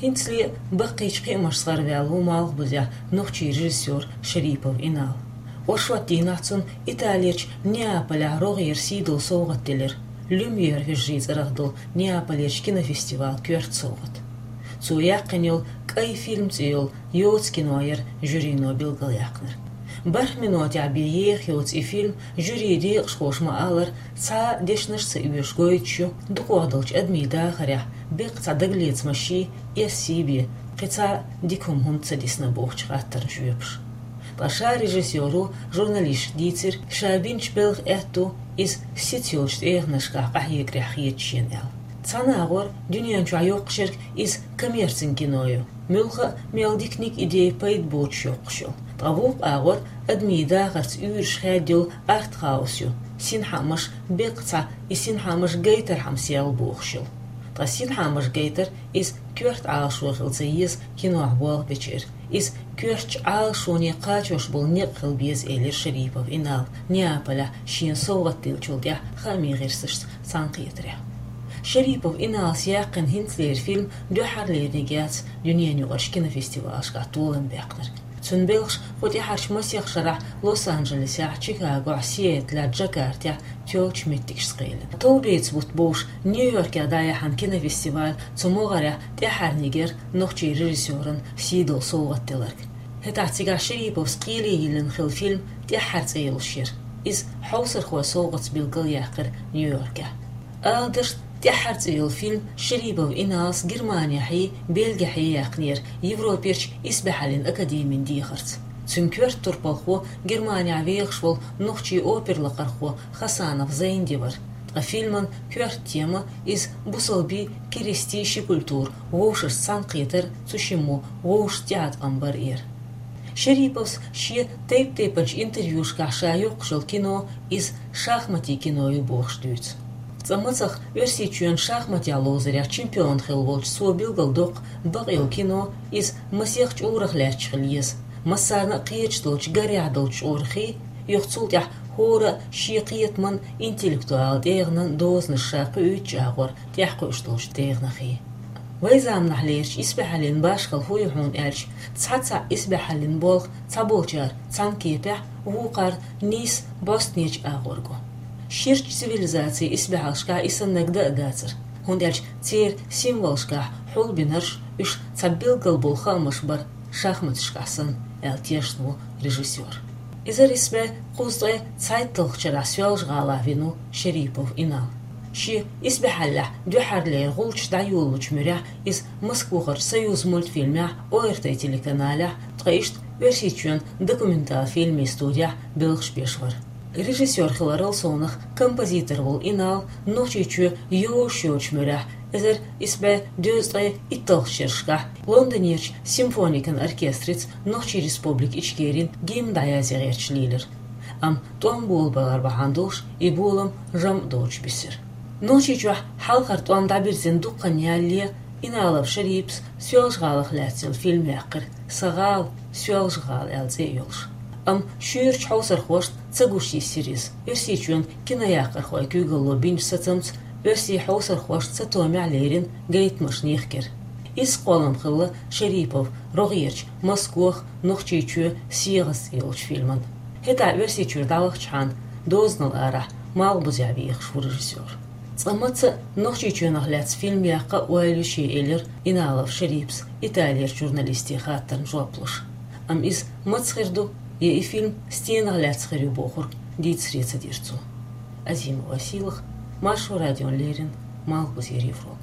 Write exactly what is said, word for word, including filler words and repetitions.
ХӀинцале баккхийчу кхиамашца гӀарваьлла ву Малхбузехь нохчийн режиссёр Шарипов Инал. Оршот дийнахь цунна Италерчу Неаполехь рогӀера сийдолу совгӀат делира. «Люмьер» вежарийн цӀарах долу Неаполерчу кинофестивалан коьрта совгӀат. Цо яьккхина йолу «КӀай фильм» цӀе йолу йоцу кино яра жюрино билгалъяьккхинарг. БархӀ минотехь бен еха йоцу и фильм, жюрин декъашхоша ма-аллара, цхьа а дешнаш а ца оьшуш гойтуш ю дукхох долчу адамийн дахарехь беккъа цхьа дагалецамаш, эс сий бен, кхин цхьа а дика хӀума хӀунда ца дисна бохучу хаттарна жоьпаш. Ткъа ша режиссёро журналисташка дийцира, ша бинчу белхан аьтто иза сица йолчу тӀегӀанашкахь къахьегарехь хета шена аьлла. Цхьана агӀор дуьнен чохь йоккхуш ерг иза коммерцин кино ю, муьлхха а мел диканиг, идея, пайда боцуш йоккхуш йолу. Ткъа вукху агӀор адамийн дахарца уьйраш хаьдда йолу артхаус ю, синхаамаш беккъа цхьа и синхаамаш гайтархьама сел бохуш йолу. Ткъа синхаамаш гайтар иза коьрта Ӏалашо хила ца еза кинохь болх бечеран. Иза коьртачу Ӏалашоне кхачош болу некъ хила беза, элира Шарипов Инала, Неаполехь шена совгӀат деллачул тӀаьхьа хаамийн гӀирсашца цхьаьнакхетарехь. Шарипов Иналас яьккхина хӀинцалера фильм дуьххьарлерниг яц дуьненаюкъарчу кинофестивалашкахь толам баьккхинарг. Цуьнан белхаш кху тӀаьхьарчу масех шарахь Лос-Анджелесехь, Чикагохь, Сиэтлехь, Джакартехь тоьллачу меттигашца кхелина. Товбеца бутт бовш Нью-Йоркехь дӀаяьхьна кинофестиваль цу могӀарехь тӀаьххьарниг яра нохчийн режиссёрна сийдолу совгӀат делларг. ХӀетахь цигахь Шариповс кхеле йиллина хилла фильм «ТӀаьххьара» цӀе йолуш яра. Иза хьовсархойн совгӀатца билгалъяьккхира Нью-Йоркехь. Ала дашна, «ТӀаьххьара» цӀе йолу фильм Шарипов Иналас Германехьий, Бельгехьий яьккхинера Европерчу исбаьхьаллин академин дехарца. Цуьнан коьрта турпалхо Германехь вехаш волу нохчийн оперлакхархо Хасанов Зайнди вара. Ткъа фильман коьрта тема иза бусалбийн, керистийн ши культура вовшашца цхьаьнакхетар, цу шиммо вовшашца тӀеӀаткъам бар яра. Шариповс шен тайп-тайпанчу интервьюшкахь ша йоккхуш йолу кино иза шахматийн кино ю бохуш дуьйцу. Цкъа мацах Оьрсийчоьнан шахматехь ловзарехь чемпион хилла волчу цо билгалдоккху бакъйолу кино иза масех чкъурах лаьтташ хила еза, массарна а кхеташ долчу гарехь долчу чкъурахий, юха цул тӀаьхьа хӀора а шен кхетаман, интеллектуалан тӀегӀанан дозанаш ша кхуьуьйтучу агӀор тӀаьхьакхуьуш долчу тӀегӀанахий. Вайн заманахь лерачу исбаьхьаллин башхалла хӀун ю хьуна аьлча, цхьа-цхьаъ исбаьхьаллин болх цхьаболчара цхьана кепехь, вукхара нийса бӀостанечу агӀор го. Ширачу цивилизацийн исбаьхьаллашкахь и саннарг дан а дацара, хӀунда аьлча церан символашкахь хьулбинарш, уьш цхьа билггал болу хаамаш бара шахматашкахь санна, аьлла тешна ву режиссёр. Эзар исс бӀе кхузткъе цхьайтталгӀачу шарахь Соьлжа-ГӀалахь вина ву Шарипов Инал. Шен исбаьхьаллехь дуьххьарлера гӀулчаш дӀайолалучу муьрехь иза Москвахарчу «Союзмультфильмехь», О Р Т телеканалехь, ткъа иштта Оьрсийчоьнан документал фильмийн студехь белхаш беш вара. Режиссёр хиларал совнах композитор волу Инал Нохчийчоь йозуш йоцучу муьрехь, эзар исс бӀе дезткъе итталгӀачу шерашкахь, Лондонерчу симфоникан оркестрица Нохчийн Республика Ичкерин гимн дӀаязъе гӀерташ лийлира. Амма тӀом болабалар бахьана долуш и болам жамӀ доцуш бисира. Нохчийчохь хьалхара тӀом дӀабирзина дуккха хан ялале, Иналов Шариповс Соьлжа-ГӀалах лаьцна йолу фильм яьккхира, «Сан гӀала, Соьлжа-ГӀала» аьлла цӀе а йолуш. Амма шуьйрачу хьовсархошна ца гуш йисира иза. Оьрсийчоьнан кинояккхархойн куьйгалло бинчу сацамца оьрсийн хьовсархошна цатомехь лерина гайтамашна йихкира. Изза кхоллам хилла Шарипов рогӀерчу «Москох», «Нохчийчоь сегӀаза» йолчу фильман. ХӀетахь Оьрсийчуьра дӀавахчахьана, дозанал арахь Малхбузехь вехаш ву режиссёр. Цкъа маца а Нохчийчоьнах лаьцна фильм яккха а ойла ю шен, элира Иналов Шариповс Италерчу журналисте хаттарна жоп луш. Амма иза маца хир ду, я и фильм стенах лаьцна хир ю бохург дийцаре ца дира цо. Азима Василах, Маршо радиона леррина, Малхбузера Европа.